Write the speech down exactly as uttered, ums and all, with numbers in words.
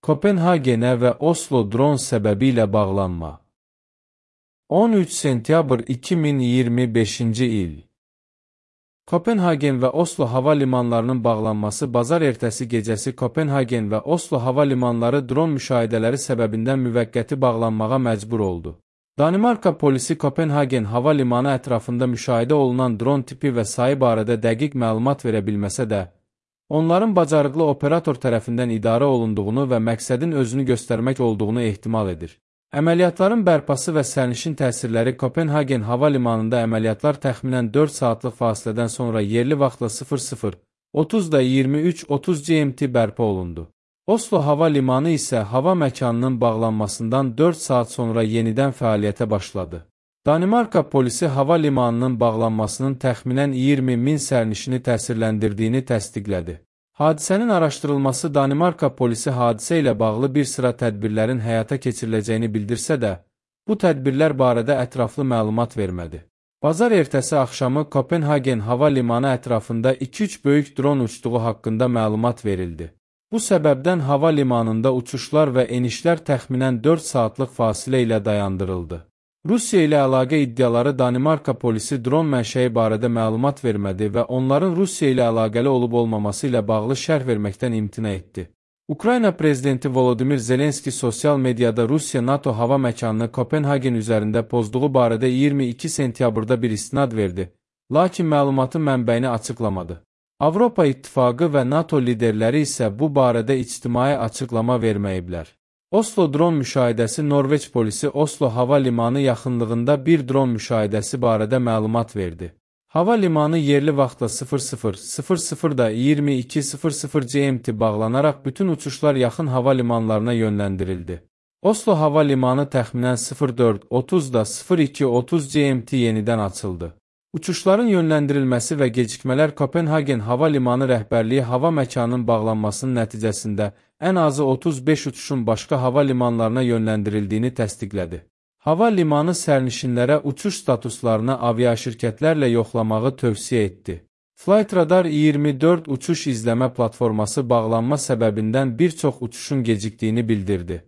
Kopenhagenə və Oslo dron səbəbilə bağlanma. on üç sentyabr iki min iyirmi beşinci il. Kopenhagen və Oslo hava limanlarının bağlanması bazar ertəsi gecəsi Kopenhagen və Oslo hava limanları dron müşahidələri səbəbindən müvəqqəti bağlanmağa məcbur oldu. Danimarka polisi Kopenhagen hava limanı ətrafında müşahidə olunan dron tipi və sayı barədə dəqiq məlumat verə bilməsə də, onların bacarıqlı operator tərəfindən idarə olunduğunu və məqsədin özünü göstərmək olduğunu ehtimal edir. Əməliyyatların bərpası və sərnişin təsirləri Kopenhagen hava limanında əməliyyatlar təxminən dörd saatlıq fasilədən sonra yerli vaxtla sıfır sıfır otuzda iyirmi üç otuz G M T bərpa olundu. Oslo hava limanı isə hava məkanının bağlanmasından dörd saat sonra yenidən fəaliyyətə başladı. Danimarka polisi hava limanının bağlanmasının təxminən iyirmi min sərnişini təsirləndirdiyini təsdiqlədi. Hadisənin araşdırılması Danimarka polisi hadisə ilə bağlı bir sıra tədbirlərin həyata keçiriləcəyini bildirsə də, bu tədbirlər barədə ətraflı məlumat vermədi. Bazar ertəsi axşamı Kopenhagen hava limanı ətrafında iki üç böyük dron uçduğu haqqında məlumat verildi. Bu səbəbdən hava limanında uçuşlar və enişlər təxminən dörd saatlıq fasilə ilə dayandırıldı. Rusiya ilə əlaqə iddiaları Danimarka polisi dron mənşəyi barədə məlumat vermədi və onların Rusiya ilə əlaqəli olub-olmaması ilə bağlı şərh verməkdən imtina etdi. Ukrayna prezidenti Volodymyr Zelenski sosial mediada Rusiya NATO hava məkanını Kopenhagen üzərində pozduğu barədə iyirmi iki sentyabrda bir istinad verdi, lakin məlumatın mənbəyini açıqlamadı. Avropa İttifaqı və NATO liderləri isə bu barədə ictimai açıqlama verməyiblər. Oslo dron müşahidəsi Norveç polisi Oslo hava limanı yaxınlığında bir dron müşahidəsi barədə məlumat verdi. Hava limanı yerli vaxtla sıfır sıfır sıfır sıfırda iyirmi iki sıfır sıfır G M T bağlanaraq bütün uçuşlar yaxın hava limanlarına yönləndirildi. Oslo hava limanı təxminən sıfır dörd otuzda sıfır iki otuz G M T yenidən açıldı. Uçuşların yönləndirilməsi və gecikmələr Kopenhagen hava limanı rəhbərliyi hava məkanının bağlanmasının nəticəsində ən azı otuz beş uçuşun başqa hava limanlarına yönləndirildiyini təsdiqlədi. Hava limanı sərnişinlərə uçuş statuslarını aviaşirkətlərlə yoxlamağı tövsiyə etdi. Flightradar iyirmi dörd uçuş izləmə platforması bağlanma səbəbindən bir çox uçuşun gecikdiyini bildirdi.